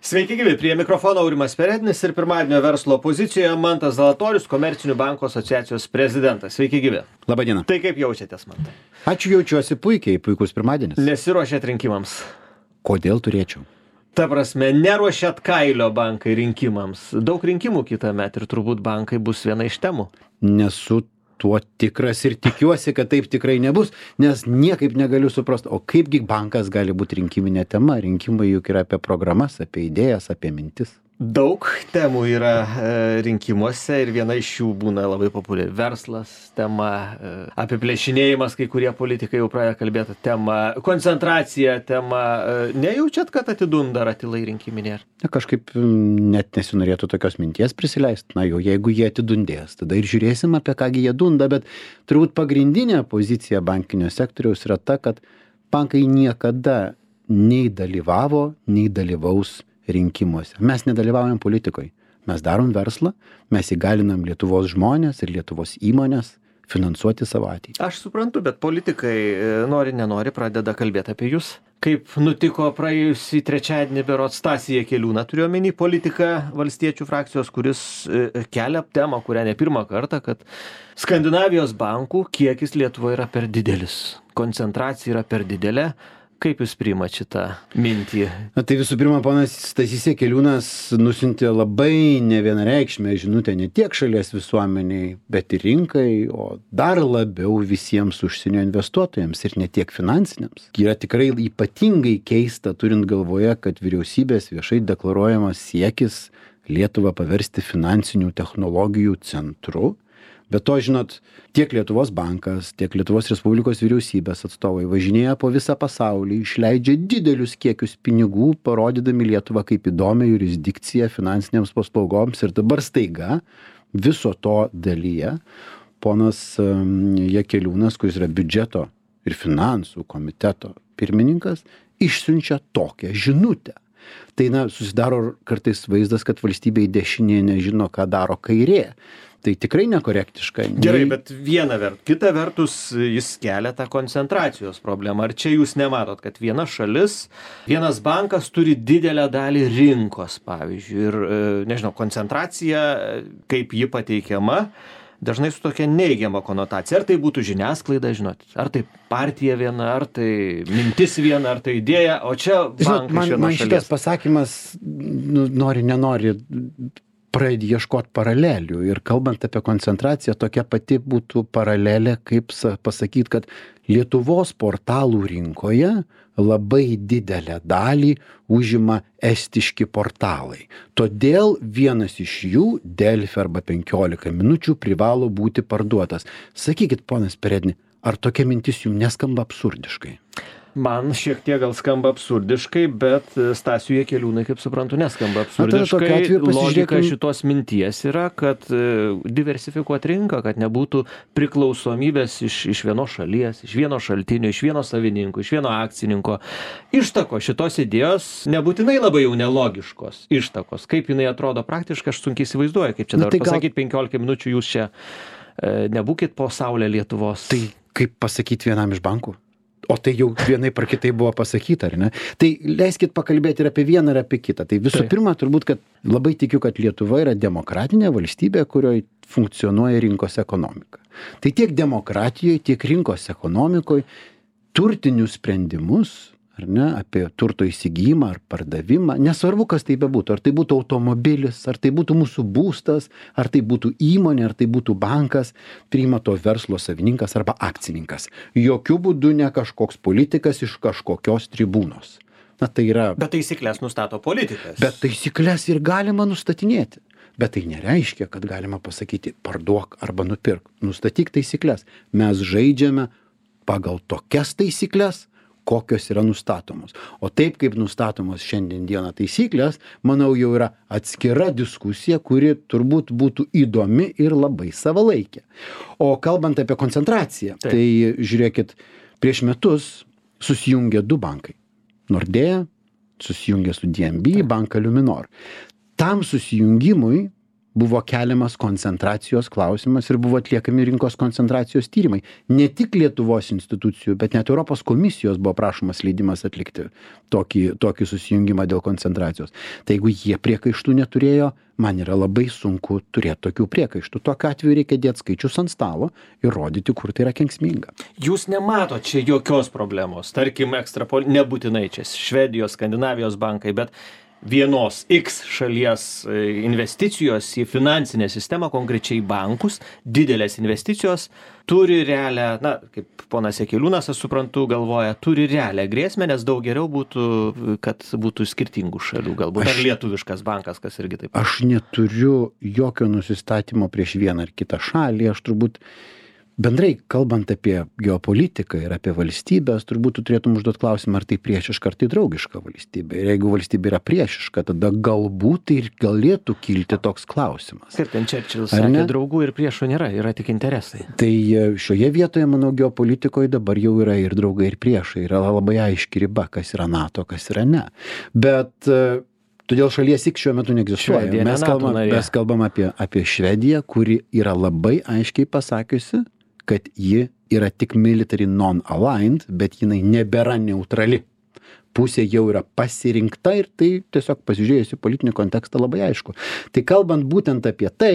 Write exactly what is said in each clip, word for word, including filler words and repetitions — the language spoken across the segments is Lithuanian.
Sveiki gyvi, prie mikrofono Aurimas Perednis ir pirmadienio verslo pozicijoje Mantas Zalatorius, Komercinių bankų asociacijos prezidentas. Sveiki gyvi. Labadiena. Tai kaip jaučiatės, Mantai? Ačiū, jaučiuosi puikiai, puikus pirmadienis. Nesiruošėt rinkimams? Kodėl turėčiau? Ta prasme, neruošėt kailio bankai rinkimams. Daug rinkimų kitą metą ir turbūt bankai bus viena iš temų. Nesu tuo tikras ir tikiuosi, kad taip tikrai nebus, nes niekaip negaliu suprasti, o kaipgi bankas gali būti rinkiminė tema. Rinkimai juk yra apie programas, apie idėjas, apie mintis. Daug temų yra e, rinkimuose ir viena iš jų būna labai populiari. Verslas tema, e, apiplėšinėjimas, kai kurie politikai jau pradėjo kalbėti tema, koncentracija tema. E, nejaučiat, kad atidunda ratilai rinkiminė? Na, kažkaip net nesinorėtų tokios minties prisileisti. Na jau, jeigu jie atidundės, tada ir žiūrėsim, apie kągi jie dunda, bet turbūt pagrindinė pozicija bankinio sektoriaus yra ta, kad bankai niekada nei dalyvavo, nei dalyvaus rinkimuose. Mes nedalyvaujam politikoje. Mes darom verslą, mes įgalinam Lietuvos žmonės ir Lietuvos įmonės finansuoti savo ateitį. Aš suprantu, bet politikai nori, nenori pradeda kalbėti apie jūs. Kaip nutiko praėjusį trečiadienį berods Stasį Jakeliūną, turiu omeny politiką valstiečių frakcijos, kuris kelia temą, kurią ne pirmą kartą, kad Skandinavijos bankų kiekis Lietuvoje yra per didelis. Koncentracija yra per didelė. Kaip jūs priimat šitą mintį? Na, tai visų pirma, ponas Stasys Jakeliūnas nusiuntė labai nevienareikšmę žinutę ne tiek šalies visuomeniai, bet ir rinkai, o dar labiau visiems užsienio investuotojams ir ne tiek finansiniams. Yra tikrai ypatingai keista, turint galvoje, kad vyriausybės viešai deklaruojamas siekis Lietuvą paversti finansinių technologijų centru. Bet to, žinot, tiek Lietuvos bankas, tiek Lietuvos Respublikos vyriausybės atstovai važinėja po visą pasaulį, išleidžia didelius kiekius pinigų, parodydami Lietuvą kaip įdomią jurisdikciją finansinėms paslaugoms. Ir dabar staiga viso to dalyje ponas Jakeliūnas, kuris yra biudžeto ir finansų komiteto pirmininkas, išsiunčia tokią žinutę. Tai, na, susidaro kartais vaizdas, kad valstybė į dešinė nežino, ką daro kairė. Tai tikrai nekorektiška. Gerai, bet viena vertus. Kita vertus, jis kelia tą koncentracijos problemą. Ar čia jūs nematot, kad viena šalis, vienas bankas turi didelę dalį rinkos, pavyzdžiui, ir, nežinau, koncentracija, kaip ji pateikiama, dažnai su tokia neigiama konotacija. Ar tai būtų žiniasklaida, žinot, ar tai partija viena, ar tai mintis viena, ar tai idėja, o čia bankas man, iš vienos man šitas šalies. Pasakymas, nu, nori, nenori, pradedi ieškoti paralelių. Ir kalbant apie koncentraciją, tokia pati būtų paralelė, kaip pasakyti, kad Lietuvos portalų rinkoje labai didelę dalį užima estiški portalai. Todėl vienas iš jų, Delfi arba penkiolika minučių, privalo būti parduotas. Sakykit, ponas Peredni, ar tokia mintis jums neskamba absurdiškai? Man šiek tiek gal skamba absurdiškai, bet Stasiui Jakeliūnui, kaip suprantu, neskamba absurdiškai. Logika šitos minties yra, kad diversifikuoti rinką, kad nebūtų priklausomybės iš, iš vienos šalies, iš vieno šaltinio, iš vieno savininko, iš vieno akcininko. Ištakos šitos idėjos nebūtinai labai jau nelogiškos. Ištakos. Kaip jinai atrodo praktiškai, aš sunkiai įsivaizduoju, kaip čia dabar tai pasakyti gal... penkiolika minučių, jūs čia e, nebūkit po saulę Lietuvos. Tai kaip pasakyti vienam iš bankų? O tai jau vienai par kitai buvo pasakyta, ar ne? Tai leiskit pakalbėti ir apie vieną, ir apie kitą. Tai visų tai. pirma, turbūt, kad labai tikiu, kad Lietuva yra demokratinė valstybė, kurioje funkcionuoja rinkos ekonomika. Tai tiek demokratijoje, tiek rinkos ekonomikoje turtinius sprendimus, ar ne, apie turto įsigijimą ar pardavimą, nesvarbu, kas tai bebūtų, ar tai būtų automobilis, ar tai būtų mūsų būstas, ar tai būtų įmonė, ar tai būtų bankas, priima to verslo savininkas arba akcininkas. Jokių būdų ne kažkoks politikas iš kažkokios tribūnos. Na, tai yra... Bet taisyklės nustato politikas. Bet taisyklės ir galima nustatinėti. Bet tai nereiškia, kad galima pasakyti parduok arba nupirk. Nustatyk taisyklės. Mes žaidžiame pagal tokias taisyklės, kokios yra nustatomos. O taip, kaip nustatomos šiandien dieną taisyklės, manau, jau yra atskira diskusija, kuri turbūt būtų įdomi ir labai savalaikė. O kalbant apie koncentraciją, taip. Tai žiūrėkit, prieš metus susijungė du bankai. Nordea susijungė su D N B, banką Luminor. Tam susijungimui buvo keliamas koncentracijos klausimas ir buvo atliekami rinkos koncentracijos tyrimai. Ne tik Lietuvos institucijų, bet net Europos komisijos buvo prašomas leidimas atlikti tokį, tokį susijungimą dėl koncentracijos. Tai jeigu jie priekaištų neturėjo, man yra labai sunku turėti tokių priekaištų. Tokiu atveju reikia dėti skaičius ant stalo ir rodyti, kur tai yra kenksminga. Jūs nemato čia jokios problemos. Tarkim, ekstrapol... nebūtinai čia Švedijos, Skandinavijos bankai, bet vienos X šalies investicijos į finansinę sistemą, konkrečiai bankus, didelės investicijos, turi realią, na, kaip ponas Jakeliūnas, aš suprantu, galvoja, turi realią grėsmę, nes daug geriau būtų, kad būtų skirtingų šalių, galbūt, aš, ar lietuviškas bankas, kas irgi taip. Aš neturiu jokio nusistatymo prieš vieną ar kitą šalį, aš turbūt bendrai, kalbant apie geopolitiką ir apie valstybės, turbūt turėtum užduoti klausimą, ar tai priešiška, ar tai draugiška valstybė. Ir jeigu valstybė yra priešiška, tada galbūt tai ir galėtų kilti toks klausimas. Kaip ten Čerčilis sakė, draugų ir priešų nėra, yra tik interesai. Tai šioje vietoje, manau, geopolitikoje dabar jau yra ir draugai, ir priešai. Yra labai aiški riba, kas yra NATO, kas yra ne. Bet todėl šalies X šiuo metu neegzistuoja. Švedija, mes, kalbam, mes kalbam apie, apie Švediją, kuri yra labai aiškiai pasakiusi, kad ji yra tik military non-aligned, bet jinai nebėra neutrali. Pusė jau yra pasirinkta ir tai tiesiog pasižiūrėjus į politinį kontekstą labai aišku. Tai kalbant būtent apie tai,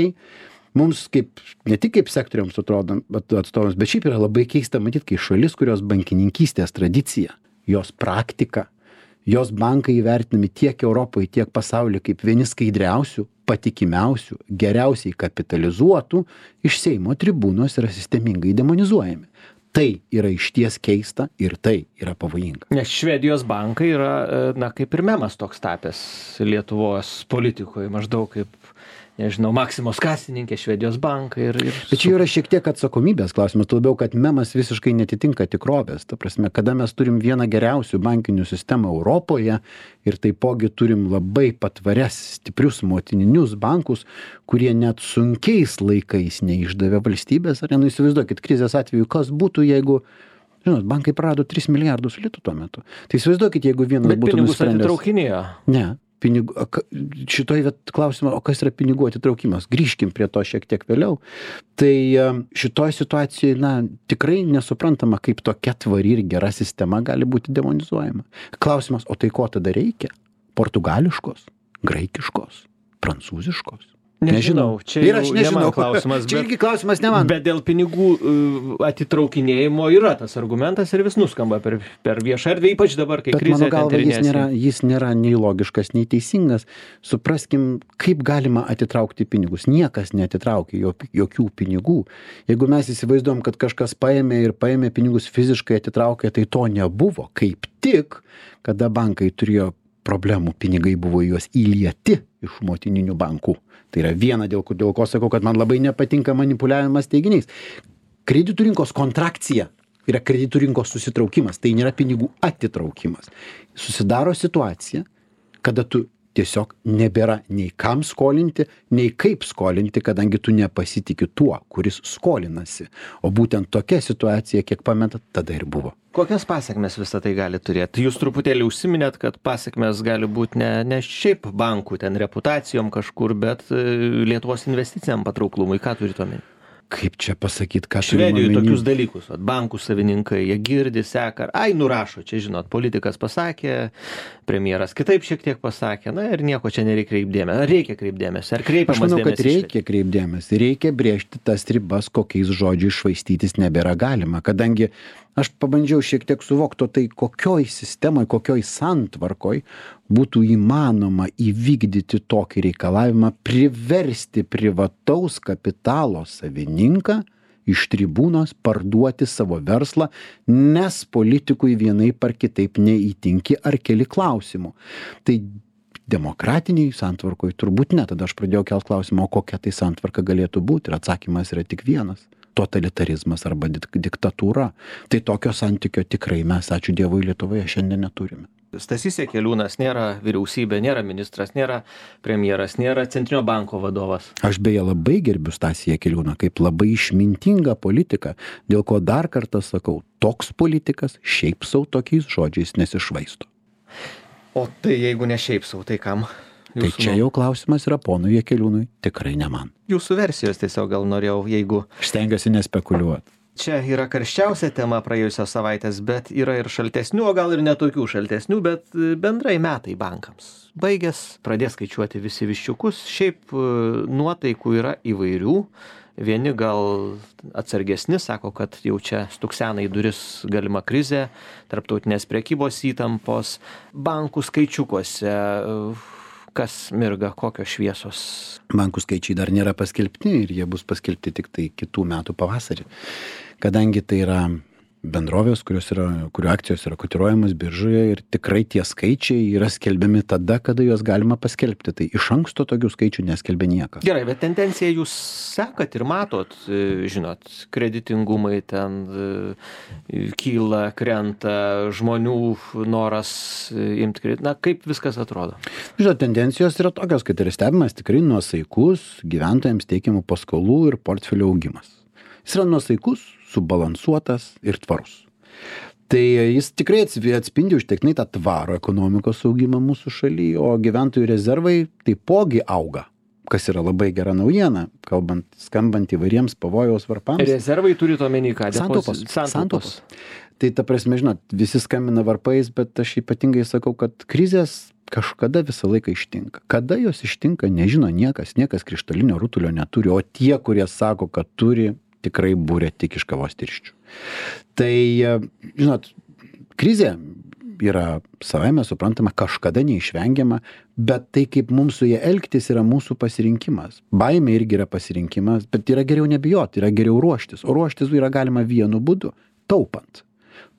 mums kaip, ne tik kaip sektoriams atstovams, bet šiaip yra labai keista matyti, kai šalis, kurios bankininkystės tradicija, jos praktika, jos bankai įvertinami tiek Europoje, tiek pasaulyje kaip vieni skaidriausių, patikimiausių, geriausiai kapitalizuotų, iš Seimo tribūnos yra sistemingai demonizuojami. Tai yra išties keista ir tai yra pavojinga. Nes Švedijos bankai yra, na, kaip ir memas toks tapęs Lietuvos politikoje, maždaug kaip, nežinau, Maksimos kasininkė, Švedijos bankai ir... ir... Bet čia yra šiek tiek atsakomybės klausimas, labiau, kad memas visiškai netitinka tikrovės. Ta prasme, kada mes turim vieną geriausių bankinių sistemų Europoje ir taipogi turim labai patvarias, stiprius motininius bankus, kurie net sunkiais laikais neišdavė valstybės, ar ne, įsivaizduokit, krizės atveju, kas būtų, jeigu... Žinot, bankai prarado tris milijardus litų tuo metu. Tai įsivaizduokit, jeigu vienas Bet būtų nusprendęs... Bet pinigus atitraukinėjo? Ne. Pinigų, šitoj klausimą, o kas yra pinigų atitraukimas? Grįžkim prie to šiek tiek vėliau. Tai šitoj situacijoje, na, tikrai nesuprantama, kaip tokia tvari ir gera sistema gali būti demonizuojama. Klausimas, o tai ko tada reikia? Portugališkos, graikiškos, prancūziškos? Nežinau, čia ir aš nežinau klausimas. Čia irgi klausimas ne man. Bet dėl pinigų uh, atitraukinėjimo yra tas argumentas ir vis nuskamba per, per viešą erdvę, ypač dabar, kai krizė. Bet mano galva, jis nėra, jis nėra nei logiškas, nei teisingas. Supraskim, kaip galima atitraukti pinigus. Niekas neatitraukė jokių pinigų. Jeigu mes įsivaizduom, kad kažkas paėmė ir paėmė pinigus fiziškai atitraukė, tai to nebuvo. Kaip tik, kada bankai turėjo problemų, pinigai buvo juos įlieti iš motininių bankų. Tai yra viena, dėl, dėl ko sakau, kad man labai nepatinka manipuliavimas teiginiais. Kreditų rinkos kontrakcija yra kreditų rinkos susitraukimas, tai nėra pinigų atitraukimas. Susidaro situacija, kada tu tiesiog nebėra nei kam skolinti, nei kaip skolinti, kadangi tu nepasitiki tuo, kuris skolinasi. O būtent tokia situacija, kiek pamenat, tada ir buvo. Kokias pasekmes visą tai gali turėti? Jūs truputėlį užsiminėt, kad pasekmes gali būti ne, ne šiaip bankų ten reputacijom kažkur, bet Lietuvos investiciniam patrauklumui. Ką turite omeny? Kaip čia pasakyti, ką Švedijoje tokius dalykus, vat, bankų savininkai, jie girdi, seka, ai, nurašo, čia žinot, politikas pasakė, premjeras kitaip šiek tiek pasakė, na ir nieko čia nereikia kreipdėmės. Ar reikia kreipdėmės? Ar kreipiamas dėmesį? Aš manau, kad reikia kreipdėmės. Reikia brėžti tas ribas, kokiais žodžiais švaistytis nebėra galima, kadangi aš pabandžiau šiek tiek suvokti, tai kokioj sistemoje, kokioj santvarkoj būtų įmanoma įvykdyti tokį reikalavimą, priversti privataus kapitalo savininką iš tribūnos parduoti savo verslą, nes politikui vienaip ar kitaip neįtinki ar keli klausimų. Tai demokratiniai santvarkoj turbūt ne. Tada aš pradėjau kelt klausimą, o kokia tai santvarka galėtų būti. Ir atsakymas yra tik vienas. Totalitarizmas arba diktatūra. Tai tokio santykio tikrai mes, ačiū Dievui, Lietuvoje šiandien neturime. Stasys Jakeliūnas nėra vyriausybė, nėra ministras, nėra premjeras, nėra Centrinio banko vadovas. Aš beje labai gerbiu Stasį Jakeliūną kaip labai išmintingą politiką, dėl ko dar kartą sakau, toks politikas šiaip sau tokiais žodžiais nesišvaisto. O tai jeigu ne šiaip sau, tai kam? Tai čia jau klausimas yra ponui Jakeliūnui, tikrai ne man. Jūsų versijos tiesiog gal norėjau, jeigu... Aš stengiuosi nespekuliuoti. Čia yra karščiausia tema praėjusios savaitės, bet yra ir šaltesnių, o gal ir netokių šaltesnių, bet bendrai metai bankams. Baigęs, pradės skaičiuoti visi viščiukus, šiaip nuotaikų yra įvairių. Vieni gal atsargesni, sako, kad jau čia stuksena į duris galima krizė, tarptautinės prekybos įtampos, bankų skaičiukuose, kas mirga, kokios šviesos. Bankų skaičiai dar nėra paskelbti ir jie bus paskelbti tik tai kitų metų pavasarį. Kadangi tai yra bendrovės, kurios yra, kurių akcijos yra kotiruojamas biržoje ir tikrai tie skaičiai yra skelbiami tada, kada juos galima paskelbti. Tai iš anksto tokių skaičių neskelbia niekas. Gerai, bet tendenciją jūs sekat ir matot, žinot, kreditingumai ten kyla, krenta, žmonių noras imti kreditą. Na, kaip viskas atrodo? Žinot, tendencijos yra tokios, kad yra stebimas tikrai nuosaikus gyventojams teikiamų paskolų ir portfelio augimas. Jis yra nuosaikus, subalansuotas ir tvarus. Tai jis tikrai atspindi užtektinai tą tvarų ekonomikos augimą mūsų šalyje, o gyventojų rezervai taipogi auga, kas yra labai gera naujiena, kalbant, skambant įvairiems pavojaus varpams. Rezervai turite omeny ką? Santaupos. Santaupos. Tai ta prasme, žinot, visi skambina varpais, bet aš ypatingai sakau, kad krizės kažkada visą laiką ištinka. Kada jos ištinka, nežino niekas, niekas krištolinio rutulio neturi, o tie, kurie sako, kad turi, tikrai būrė tik iš kavos tirščių. Tai, žinot, krizė yra savaime suprantama, kažkada neišvengiama, bet tai, kaip mums su jie elgtis, yra mūsų pasirinkimas. Baimė irgi yra pasirinkimas, bet yra geriau nebijoti, yra geriau ruoštis. O ruoštis yra galima vienu būdu – taupant.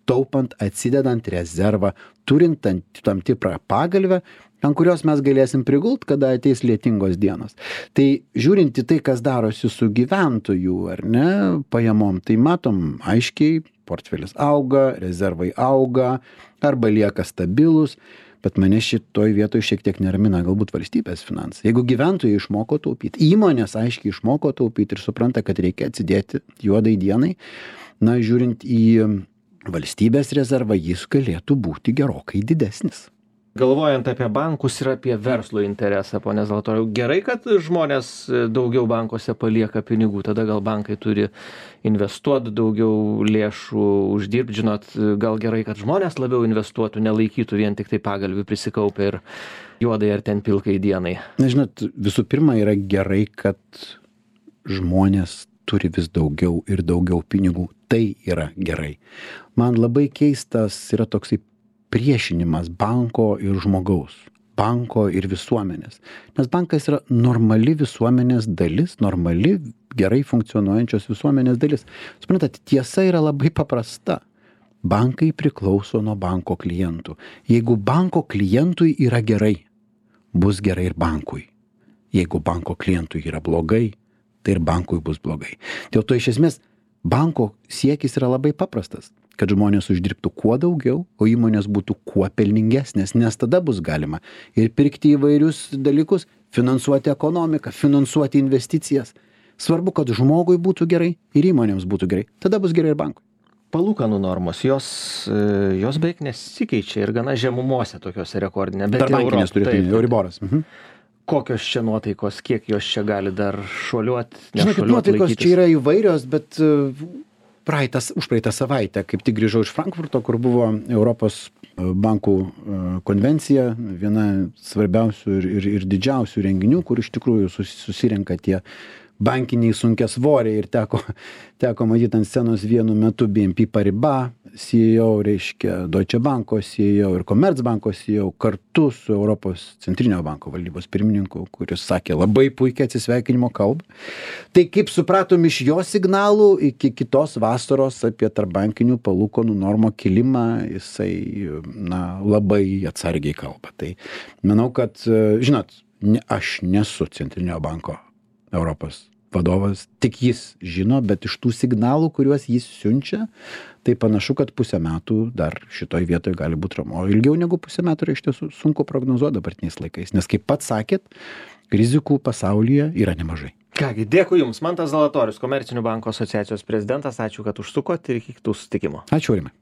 Taupant, atsidedant rezervą, turint tam tikrą pagalvę, ant kurios mes galėsim prigult, kada ateis lietingos dienos. Tai žiūrint į tai, kas darosi su gyventojų, ar ne, pajamom, tai matom aiškiai, portfelis auga, rezervai auga, arba lieka stabilus, bet mane šitoj vietoj šiek tiek neramina galbūt valstybės finansai. Jeigu gyventojai išmoko taupyti, įmonės aiškiai išmoko taupyti ir supranta, kad reikia atsidėti juodai dienai, na, žiūrint į valstybės rezervą, jis galėtų būti gerokai didesnis. Galvojant apie bankus ir apie verslo interesą, ponė Zalatoriau, gerai, kad žmonės daugiau bankuose palieka pinigų, tada gal bankai turi investuoti daugiau lėšų, uždirbti, žinot, gal gerai, kad žmonės labiau investuotų, nelaikytų vien tik tai pagalvių prisikaupę ir juodai ar ten pilkai dienai. Na, žinot, visų pirma yra gerai, kad žmonės turi vis daugiau ir daugiau pinigų. Tai yra gerai. Man labai keistas yra toksai priešinimas banko ir žmogaus, banko ir visuomenės. Nes bankas yra normali visuomenės dalis, normali, gerai funkcionuojančios visuomenės dalis. Suprantat, tiesa yra labai paprasta. Bankai priklauso nuo banko klientų. Jeigu banko klientui yra gerai, bus gerai ir bankui. Jeigu banko klientui yra blogai, tai ir bankui bus blogai. Dėl to iš esmės banko siekis yra labai paprastas, kad žmonės uždirbtų kuo daugiau, o įmonės būtų kuo pelningesnės, nes tada bus galima ir pirkti įvairius dalykus, finansuoti ekonomiką, finansuoti investicijas. Svarbu, kad žmogui būtų gerai ir įmonėms būtų gerai. Tada bus gerai ir bankui. Palūkanų normos, jos, jos beveik nesikeičia ir gana žemumose tokiose rekordinė. Dar bankinės turėtų, Euriboras. Mhm. Kokios čia nuotaikos, kiek jos čia gali dar šuoliuoti? Žinokit, nuotaikos laikytis? Čia yra įvairios, bet praeitas, už praeitą savaitę, kaip tik grįžau iš Frankfurto, kur buvo Europos bankų konvencija, viena svarbiausių ir, ir, ir didžiausių renginių, kur iš tikrųjų susirenka tie bankiniai sunkiasvoriai ir teko, teko matyti ant scenos vienu metu B N P Paribas C E O, reiškia Deutsche Banko C E O ir Commerzbanko C E O kartu su Europos centrinio banko valdybos pirmininku, kuris sakė labai puikiai atsisveikinimo kalbą. Tai kaip supratom iš jo signalų iki kitos vasaros apie tarpbankinių palūkanų normų kilimą, jisai na, labai atsargiai kalba. Tai manau, kad, žinot, ne, aš nesu centrinio banko Europos vadovas, tik jis žino, bet iš tų signalų, kuriuos jis siunčia, tai panašu, kad pusę metų dar šitoj vietoje gali būti ramu. O ilgiau negu pusę metų yra iš tiesų sunku prognozuoti dabartiniais laikais, nes kaip pats sakėt, rizikų pasaulyje yra nemažai. Kągi, dėkui Jums. Mantas Zalatorius, Komercinių bankų asociacijos prezidentas. Ačiū, kad užsukot ir iki kitų susitikimų. Ačiū, Aurimai.